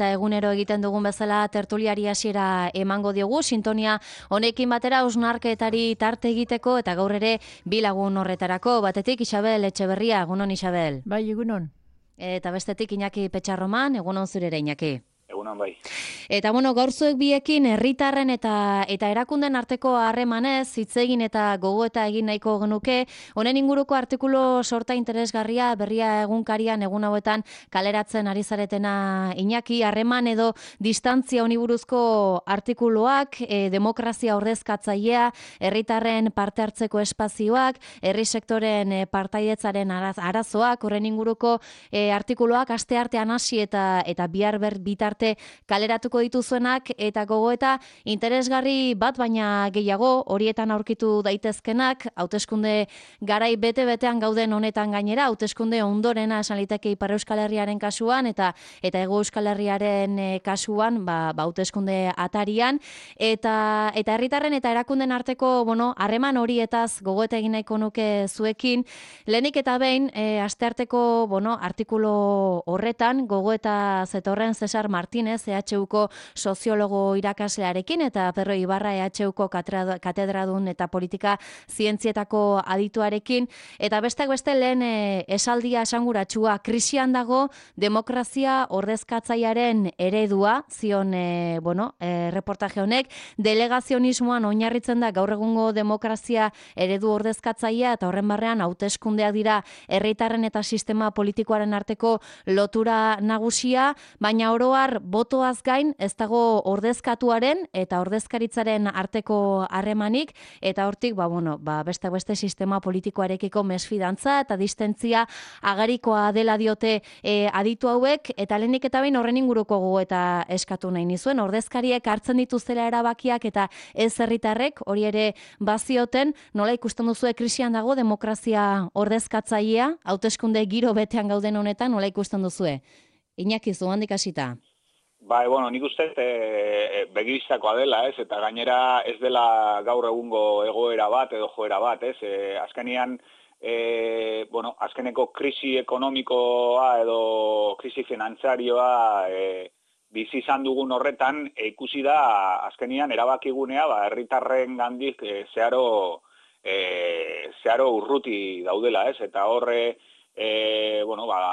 Eta egunero egiten dugun bezala tertuliari hasiera emango diogu, sintonia honekin batera hausnarketari tarte egiteko eta gaur ere bi lagun horretarako. Batetik Isabel Etxeberria, egunon Isabel. Bai, egunon. Eta bestetik Iñaki Petxarroman, egunon zure ere Iñaki. Egunon bai. Eta gaur zuek biekin herritarren eta erakunden arteko harremanez hitz egin eta gogoeta egin nahiko genuke. Honen inguruko artikulu sorta interesgarria berria egunkarian egun hauetan kaleratzen ari zaretena Iñaki, harreman edo distantzia honi buruzko artikuluak, demokrazia ordezkatzailea, herritarren parte hartzeko espazioak, herri sektoren partaidetzaren arazoak, horren inguruko artikuluak asteartean hasi eta bihar bitarte kaleratuko dituzuenak eta gogoeta interesgarri bat baina gehiago horietan aurkitu daitezkenak, hauteskunde garai bete-betean gauden honetan gainera, hauteskunde ondorena esan liteke Ipar Euskal Herriaren kasuan eta Hego Euskal Herriaren kasuan, hauteskunde atarian eta herritarren eta erakunden arteko, harreman horietaz gogoeta egin nahiko nuke zuekin. Lehenik eta behin, astearteko, artikulu horretan gogoeta zetorren Cesar Martínez, EHUko soziologo irakaslearekin eta Perro Ibarra EHUko katedradun eta politika zientzietako adituarekin. Eta besteak beste lehen esaldia esanguratsua, krisian dago demokrazia ordezkatzailearen eredua, zion reportaje honek, delegazionismoan oinarritzen da gaur egungo demokrazia eredu ordezkatzailea eta horren barrean hauteskundeak dira herritarren eta sistema politikoaren arteko lotura nagusia, baina oro har botoaz gain ez dago ordezkatuaren eta ordezkaritzaren arteko harremanik eta hortik beste sistema politikoarekiko mesfidantza eta distentzia agerikoa dela diote aditu hauek eta lehenik eta behin horren inguruko gogoeta eskatu nahi nizuen, ordezkariek hartzen dituztela erabakiak eta ez herritarrek, hori ere bazioten, nola ikusten duzue krisian dago demokrazia ordezkatzailea, hauteskunde giro betean gauden honetan, nola ikusten duzue? Iñaki, zuhandik hasita. Bai, nik uste begibistakoa dela, eta gainera ez dela gaur egungo egoera bat edo joera bat, azkenean, azkeneko krisi ekonomikoa edo krisi finantzarioa bizi izan dugun horretan ikusi da azkenean erabakigunea herritarren gandik zeharo urruti daudela, eta horre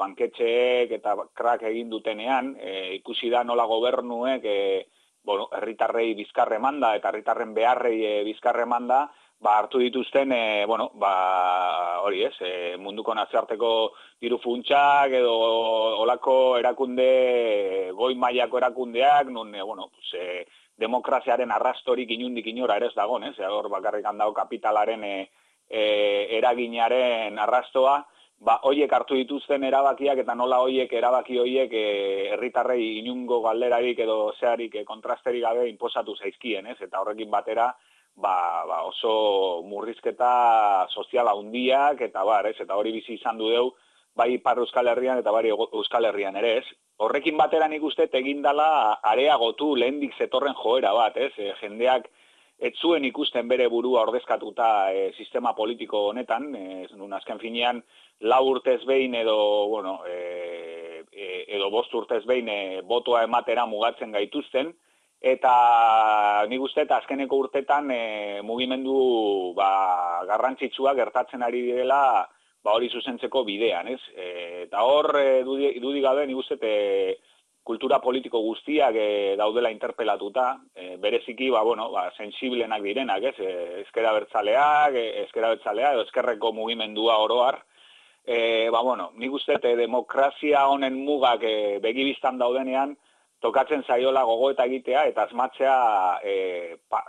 banketxeek eta krak egin dutenean, ikusi da nola gobernuek herritarrei bizkarre manda eta herritarren beharrei bizkarre manda, hartu dituzten, munduko nazioarteko diru funtsak edo olako erakunde, goi mailako erakundeak, nun, demokraziaren arrastorik inundik inora ere ez dagoen, hor bakarrik handago kapitalaren eraginaren arrastoa, hoiek hartu dituzten erabakiak eta nola erabaki hoiek herritarrei inungo galderarik edo zeharik kontrasterik gabe inposatu zaizkien, eta horrekin batera oso murrizketa soziala handiak eta eta hori bizi izan deu bai Ipar Euskal Herrian eta bai Euskal Herrian ere ez. Horrekin batera nik uste egin dela areagotu lehendik zetorren joera bat, jendeak ez zuen ikusten bere burua ordezkatuta sistema politiko honetan, azken finean 4 urtez behin edo 5 urtez behin botoa ematera mugatzen gaituzten, eta nik uste azkeneko urtetan mugimendu garrantzitsua gertatzen ari direla hori zuzentzeko bidean, eta hor dudik gabe nik uste kultura politiko guztiak daudela interpelatuta, bereziki sensiblenak direnak, ezker abertzalea edo ezkerreko mugimendua oroar, nik uste demokrazia honen mugak begibistan daudenean tokatzen zaiola gogoeta egitea eta asmatzea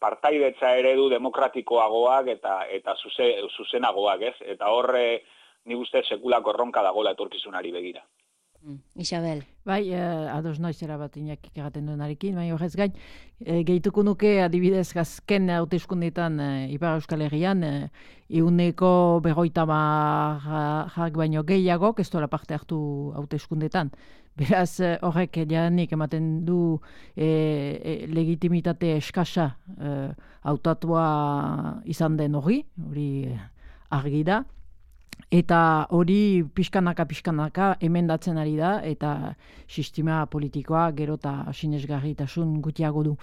partaidetza eredu demokratikoagoak eta zuzenagoak, eta horre nik uste sekulako erronka dagoela etorkizunari begira. Isabel. Bai, ados noizera bat Iñakik egaten duenarekin, baina horrez gain, gehituko nuke adibidez azken hauteskundeetan Ipar Euskal Herrian, 50% baino gehiagok ez dola parte hartu hauteskundeetan. Beraz, horrek janik ematen du legitimitate eskasa hautatua izan den hori argi da. Eta hori pixkanaka emendatzen ari da, eta sistema politikoa gero eta sinesgarritasun gutiago du.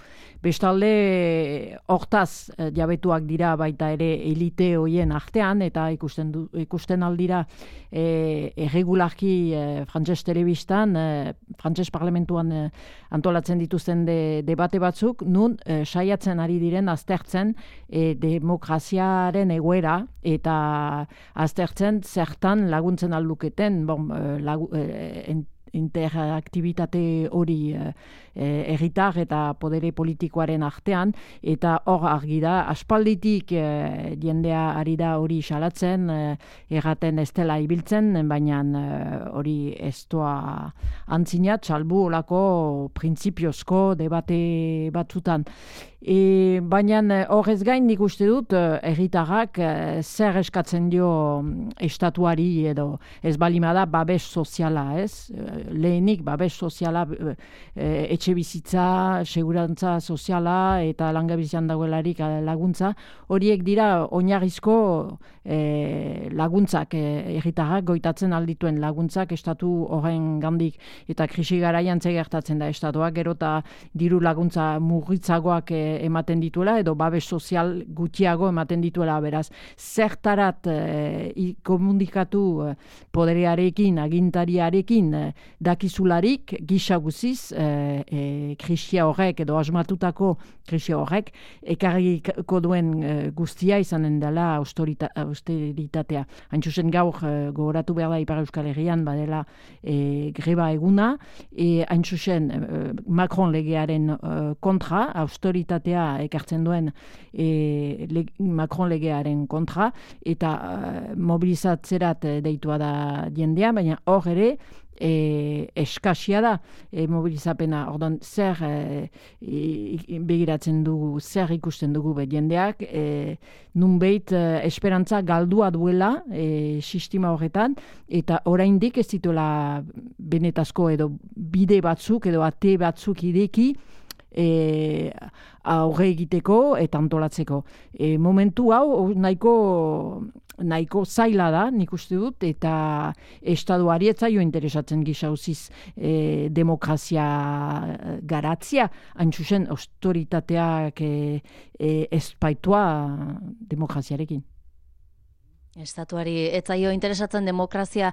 Bestalde, hortaz jabetuak dira baita ere elite hoien artean, eta ikusten aldira erregularki frantses telebistan, frantses parlamentuan antolatzen dituzten debate batzuk, nun saiatzen ari diren aztertzen demokraziaren egoera, eta aztertzen zertan laguntzen alduketen interaktibitate hori herritar eta podere politikoaren artean, eta hor argi da, aspalditik jendea ari da hori salatzen, erraten ez dela ibiltzen, baina hori ez doa antzinat, salbu olako printzipiozko debate batzutan. Baina horrez gain nik uste dut herritarrak zer eskatzen dio estatuari edo ez balimada babes soziala, ez? Lehenik babes soziala, etxe bizitza, segurantza soziala eta langabezian dagoelarik laguntza, horiek dira oinarrizko laguntzak, herritarrak goitatzen aldituen laguntzak estatu horren gandik, eta krisi garaian gertatzen da estatuak gero eta diru laguntza murritzagoak ematen dituela, edo babes sozial gutxiago ematen dituela, beraz, zertarat komunikatu poderearekin, agintariarekin dakizularik, gisa guziz, krisia horrek, edo asmatutako krisia horrek, ekarriko duen guztia izanen dela austeritatea. Hain zuzen gaur gogoratu behar da Ipar Euskal Herrian badela greba eguna, hain zuzen Macron legearen kontra, austeritatea ekartzen duen Macron legearen kontra, eta mobilizatzerat deitua da jendea, baina hor ere eskasia da mobilizapena. Ordan zer begiratzen dugu, zer ikusten dugu jendeak, nunbait esperantza galdua duela sistema horretan, eta oraindik ez dituela benetazko edo bide batzuk edo ate batzuk ideki aurre egiteko eta antolatzeko. Momentu hau nahiko zaila da, nik uste dut, eta estaduari ez zaio interesatzen gisa uziz demokrazia garatzia, hain zuzen autoritateak ezpaitua demokraziarekin. Estatuari etzaio interesatzen demokrazia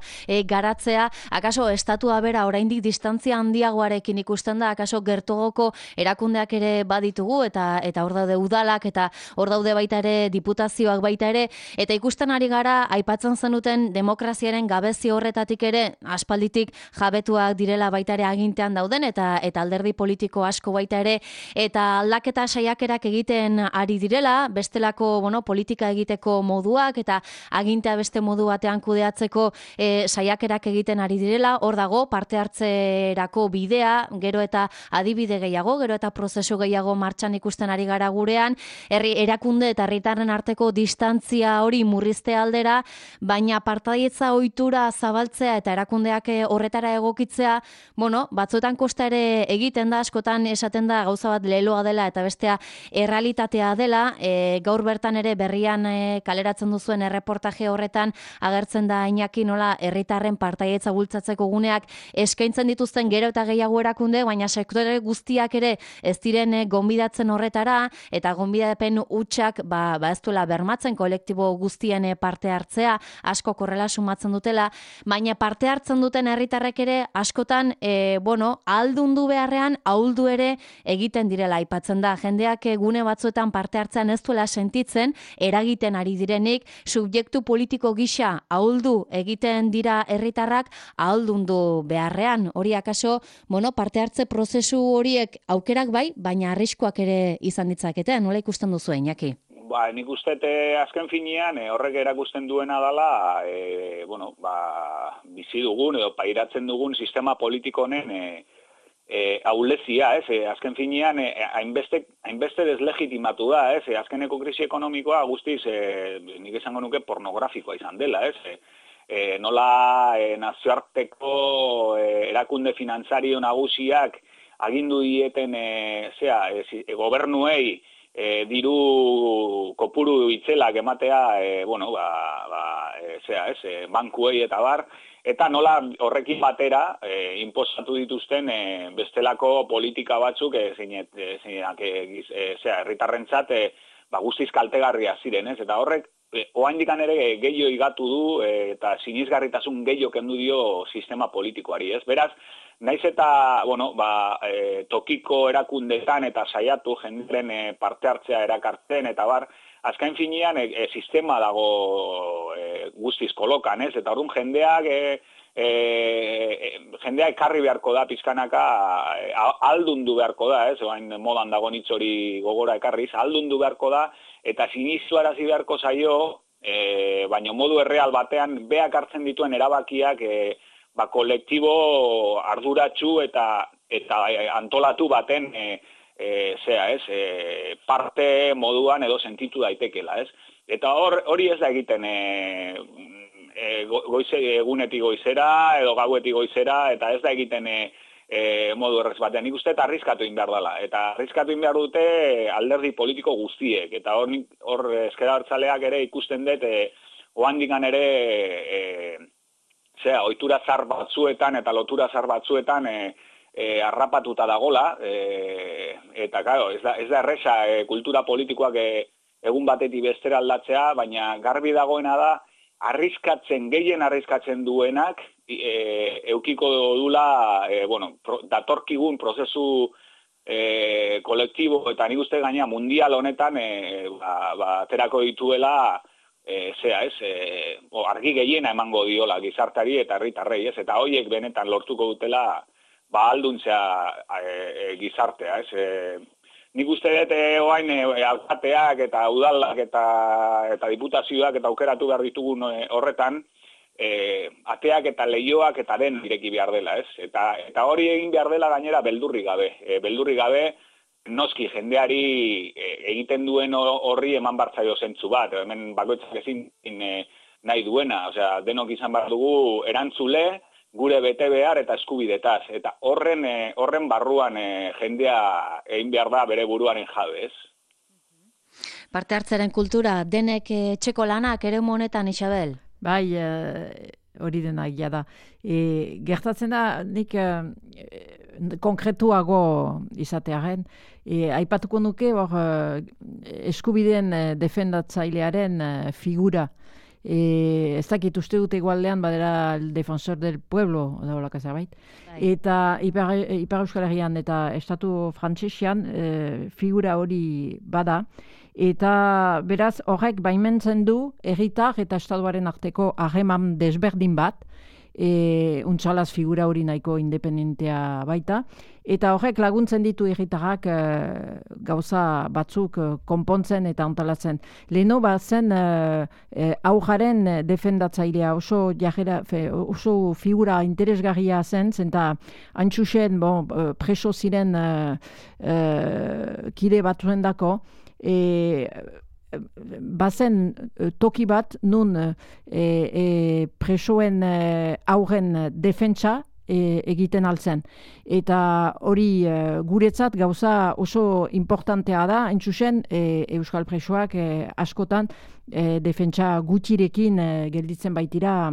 garatzea, akaso estatua bera oraindik distantzia handiagoarekin ikusten da, akaso gertugoko erakundeak ere baditugu, eta hor daude udalak, eta hor daude baita ere diputazioak baita ere, eta ikusten ari gara, aipatzen zenuten demokraziaren gabezi horretatik ere, aspalditik jabetuak direla baita ere agintean dauden, eta alderdi politiko asko baita ere, eta aldaketa saiakerak egiten ari direla, bestelako politika egiteko moduak, eta agintea beste modu batean kudeatzeko saiakerak egiten ari direla, hor dago parte hartzerako bidea, gero eta adibide gehiago, gero eta prozesu gehiago martxan ikusten ari gara gurean, erakunde eta herritarren arteko distantzia hori murrizte aldera, baina partaietza ohitura zabaltzea eta erakundeak horretara egokitzea, batzuetan kosta ere egiten da, askotan esaten da gauza bat leloa dela eta bestea errealitatea dela, gaur bertan ere berrian kaleratzen duzuen erreportaje horretan agertzen da Iñaki nola herritarren partaietza bultzatzeko guneak eskaintzen dituzten gero eta gehiago erakunde, baina sektore guztiak ere ez diren gonbidatzen horretara, eta gonbidapen hutsak ez duela bermatzen kolektibo guztien parte hartzea, asko korrela sumatzen dutela, baina parte hartzen duten herritarrek ere askotan ahaldundu beharrean ahuldu ere egiten direla aipatzen da. Jendeak gune batzuetan parte hartzean ez duela sentitzen, eragiten ari direnik, subjektu politiko gisa ahuldu egiten dira herritarrak ahaldundu beharrean. Hori akaso, parte hartze prozesu horiek aukerak bai, baina arriskuak ere izan ditzakete. Nola ikusten duzu, Iñaki? Nik uste azken finean horrek erakusten duena dela, bizi dugun edo pairatzen dugun sistema politiko honen aulezia, azken finean hainbeste deslegitimatu da, azkeneko krisi ekonomikoa guztiz nik esango nuke pornografikoa izan dela, nola nazioarteko erakunde finantzario nagusiak agindu dieten gobernuei diru kopuru itzelak ematea, bankuei eta bar, eta nola horrekin batera inposatu dituzten bestelako politika batzuk herritarrentzat guztiz kaltegarria ziren, ez? Eta horrek oraindikan ere gehiago igatu du eta sinisgarritasun gehiago kendu dio sistema politikoari, ez? Beraz, naiz eta, tokiko erakundetan eta saiatu jendearen parte hartzea erakartzen eta bar, azken finean sistema dago guztiz kolokan, ez? Eta orduan jendea ekarri beharko da pizkanaka, aldundu beharko da, ez? Oain modan dago hitz hori gogora ekarriz, aldundu beharko da, eta sinistuarazi beharko zaio, baina modu erreal batean beak hartzen dituen erabakiak kolektibo arduratsu eta antolatu baten parte moduan edo sentitu daitekela, ez? Eta hori ez da egiten egunetik goizera edo gauetik goizera, eta ez da egiten modu errez batean. Nik uste eta arriskatu egin behar dela. Eta arriskatu egin behar dute alderdi politiko guztiek. Eta hor ezker abertzaleak ere ikusten dut, ohandikan ere ohitura zar batzuetan eta lotura zar batzuetan harrapatuta dagola, eta claro, ez da erresa kultura politikoak egun batetik bestera aldatzea, baina garbi dagoena da gehien arriskatzen duenak eukiko dula datorkigun prozesu kolektibo eta nik uste gaina mundial honetan aterako dituela argi gehiena emango diola gizartari eta herritarrei, ez? Eta hoiek benetan lortuko dutela ahalduntzea gizartea, ez? Nik uste dut oain alkateak eta udalak eta diputazioak eta aukeratu behar ditugun horretan, ateak eta leioak eta den ireki behar dela, ez? Eta hori egin behar dela gainera beldurri gabe, noski jendeari egiten duen horri eman bartzaio zentzu bat, hemen bakoitzak ezin nahi duena, osea, denok izan behar dugu erantzule, gure bete behar eta eskubidetaz, eta horren barruan jendea egin behar da bere buruaren jabe, ez? Parte hartzaren kultura, denek etxeko lanak ere honetan, Isabel? Bai, hori dena egia da. Gertatzen da, nik konkretuago izatearen, aipatuko nuke eskubideen defendatzailearen figura. Ez dakit uste dute igualdean badera el defensor del pueblo edo laka zerbait. Eta Ipar Euskal Herrian eta Estatu Frantsesean figura hori bada. Eta beraz horrek baimentzen du herritar eta estatuaren arteko harreman desberdin bat, untsalaz figura hori nahiko independentea baita, eta horrek laguntzen ditu herritarrak gauza batzuk konpontzen eta antolatzen. Leheno bazen aujaren defendatzailea oso figura interesgarria zen, zenta antxusen preso ziren kide batzuendako, bazen toki bat nun presoen aurren defentsa egiten altzen. Eta hori guretzat gauza oso importantea da, entzusen Euskal presoak askotan defentsa gutxirekin gelditzen baitira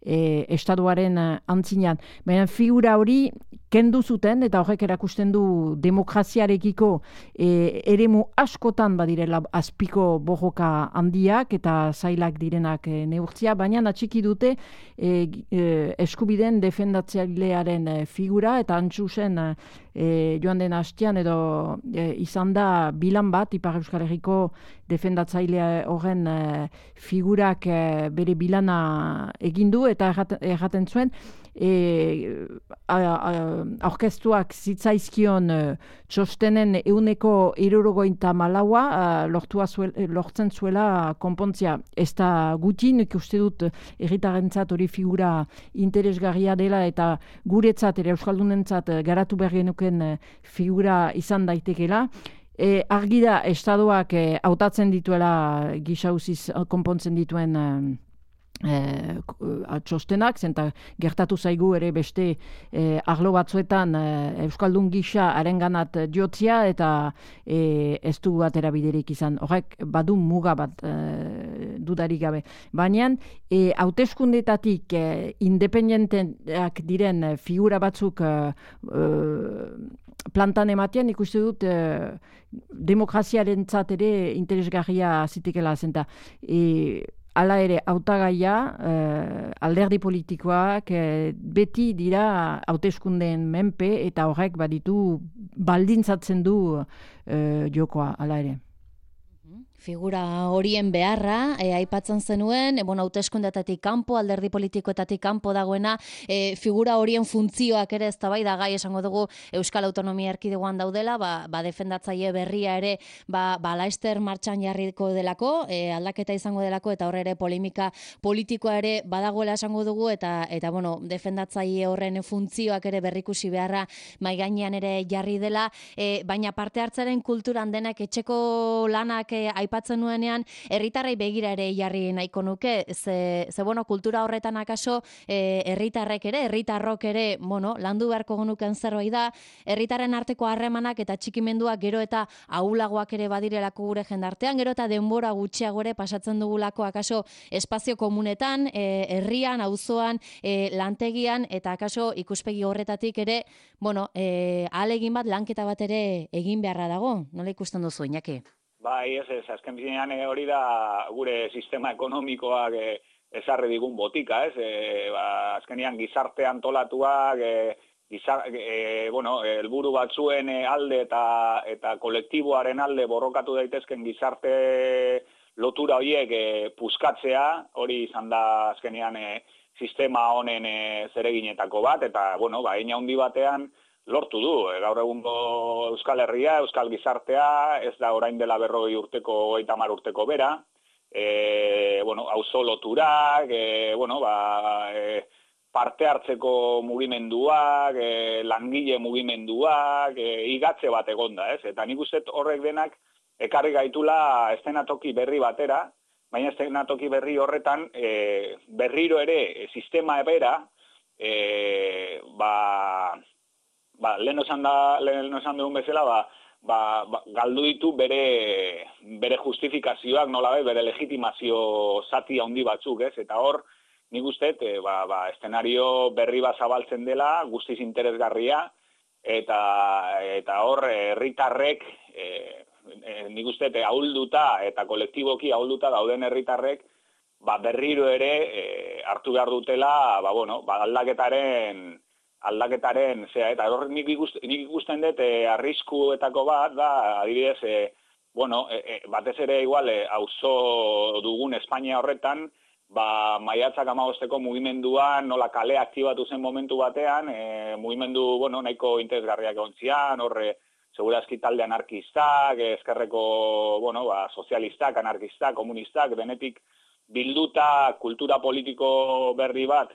estatuaren antzinean. Baina figura hori kendu zuten, eta horrek erakusten du demokraziarekiko eremu askotan badirela azpiko borroka handiak eta zailak direnak neurtzia, baina atxiki dute eskubideen defendatzailearen figura, eta antzusen joan den hastian edo izan da bilan bat Ipar Euskal Herriko defendatzaile horren figurak bere bilana egin du, eta erraten zuen aurkeztuak zitzaizkion txostenen 174 lortzen zuela konpontzia. Ez da gutxi, nik uste dut herritarrentzat hori figura interesgarria dela, eta guretzat ere euskaldunentzat garatu behar genuken figura izan daitekela. Argi da, estadoak hautatzen dituela gisa uziz konpontzen dituen txostenak, zenta gertatu zaigu ere beste arlo batzuetan Euskaldun gisa arenganat jotzia eta ez du atera biderik izan. Horrek badu muga bat dudarik gabe. Baina hauteskundetatik independenteak diren figura batzuk plantan ematean ikuste dut demokraziarentzat ere interesgarria zitekela zenta. Hala ere, hautagaia, alderdi politikoak beti dira hauteskundeen menpe eta horrek baditu baldintzatzen du jokoa, hala ere. Figura horien beharra, aipatzen zenuen, hauteskundetatik kanpo, alderdi politikoetatik kanpo dagoena, figura horien funtzioak ere eztabaidagai esango dugu Euskal Autonomia Erkidegoan daudela, defendatzaile berria ere, laster martxan jarriko delako, aldaketa izango delako, eta horre ere polemika politikoa ere badagoela esango dugu, eta defendatzaile horren funtzioak ere berrikusi beharra mahai gainean ere jarri dela, baina parte hartzaren kulturan denak etxeko lanak aipatzen nuenean, herritarrei begira ere jarri nahiko nuke, ze kultura horretan akaso herritarrok ere, landu beharko genuken zerbait da, herritarren arteko harremanak eta txikimenduak gero eta ahulagoak ere badirelako gure jendartean, gero eta denbora gutxiago ere pasatzen dugulako akaso espazio komunetan, herrian, auzoan, lantegian, eta akaso ikuspegi horretatik ere, ahalegin bat, lanketa bat ere egin beharra dago. Nola ikusten duzu, Iñaki? Bai, azken bizinean hori da gure sistema ekonomikoak ezarri digun botika, ez? Azkenean gizarte antolatuak, helburu batzuen alde eta kolektiboaren alde borrokatu daitezken gizarte lotura horiek puskatzea, hori izan da azkenean sistema honen zereginetako bat, eta, hein handi batean, lortu du, gaur egungo Euskal Herria, Euskal Gizartea, ez da orain dela 40 urteko, 30 urteko bera, auzo loturak, parte hartzeko mugimenduak, langile mugimenduak, igatze bat egonda, ez? Eta nik uste horrek denak ekarri gaitula eszenatoki berri batera, baina eszenatoki berri horretan berriro ere sistema bera, lehen esan dugun bezala, galdu ditu bere justifikazioak, nolabai, bere legitimazio zati handi batzuk, ez? Eta hor, nik uste, eszenario berri bat zabaltzen dela, guztiz interesgarria, eta hor, herritarrek, nik uste, ahulduta eta kolektiboki ahulduta dauden herritarrek, berriro ere hartu behar dutela, aldaketaren, eta hor nik ikusten dut arriskuetako bat, adibidez, batez ere igual, auzo dugun Espainia horretan, maiatzak 15ko mugimenduan, nola kale aktibatu zen momentu batean, mugimendu, nahiko interesgarriak ontzian, horre, segurazki talde anarkistak, ezkerreko, sozialistak, anarkistak, komunistak, denetik bilduta kultura politiko berri bat,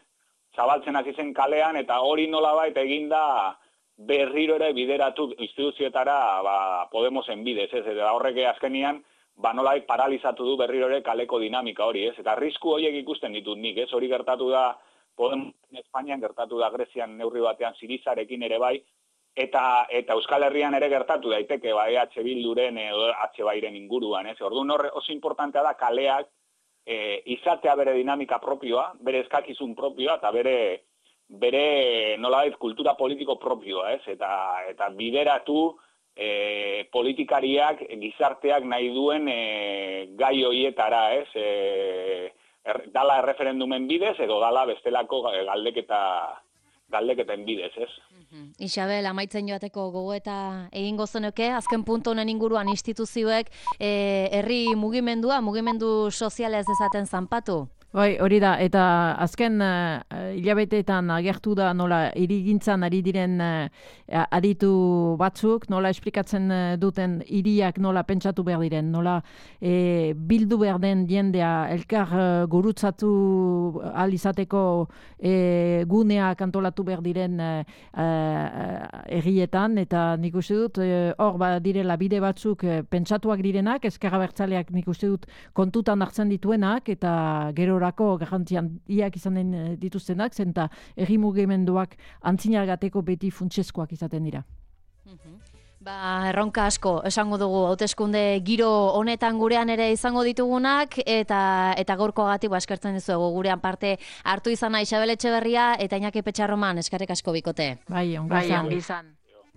zabaltzen hasi zen kalean, eta hori nolabait eginda berriro ere bideratu instituzioetara Podemosen bidez, ez? Eta horrek azkenian, nolabait paralizatu du berriro ere kaleko dinamika hori, ez? Eta arrisku horiek ikusten ditut nik, ez? Hori gertatu da Podemosen Espainian, gertatu da Grezian neurri batean Sirizarekin ere bai, eta Euskal Herrian ere gertatu daiteke, EH Bilduren edo H-Bairen inguruan, ez? Orduan oso importantea da kaleak izatea bere dinamika propioa, bere eskakizun propioa, eta bere nolabait kultura politiko propioa, ez? Eta bideratu politikariak, gizarteak nahi duen gai horietara, ez? Dala erreferendumen bidez, edo dala bestelako galdeketen bidez, ez? Isabel, amaitzen joateko gogoeta egingo zenuke, azken puntu honen inguruan instituzioek herri mugimendu soziala ez dezaten zanpatu? Bai, hori da, eta azken hilabeteetan agertu da nola hirigintzan ari diren aditu batzuk, nola esplikatzen duten hiriak nola pentsatu behar diren, nola bildu behar den jendea elkar gurutzatu ahal izateko guneak antolatu behar diren herrietan, eta nik uste dut hor direla bide batzuk pentsatuak direnak, ezker abertzaleak nik uste dut kontutan hartzen dituenak, eta gero egunerorako garrantzi handiak izanen dituztenak, zenta herri mugimenduak antzinargateko beti funtsezkoak izaten dira. Erronka asko, esango dugu, hauteskunde giro honetan gurean ere izango ditugunak, eta gaurkoagatik eskertzen dizuegu gurean parte hartu izana Isabel Etxeberria eta Iñaki Petxarroman, eskerrik asko bikote. Bai, ongi izan.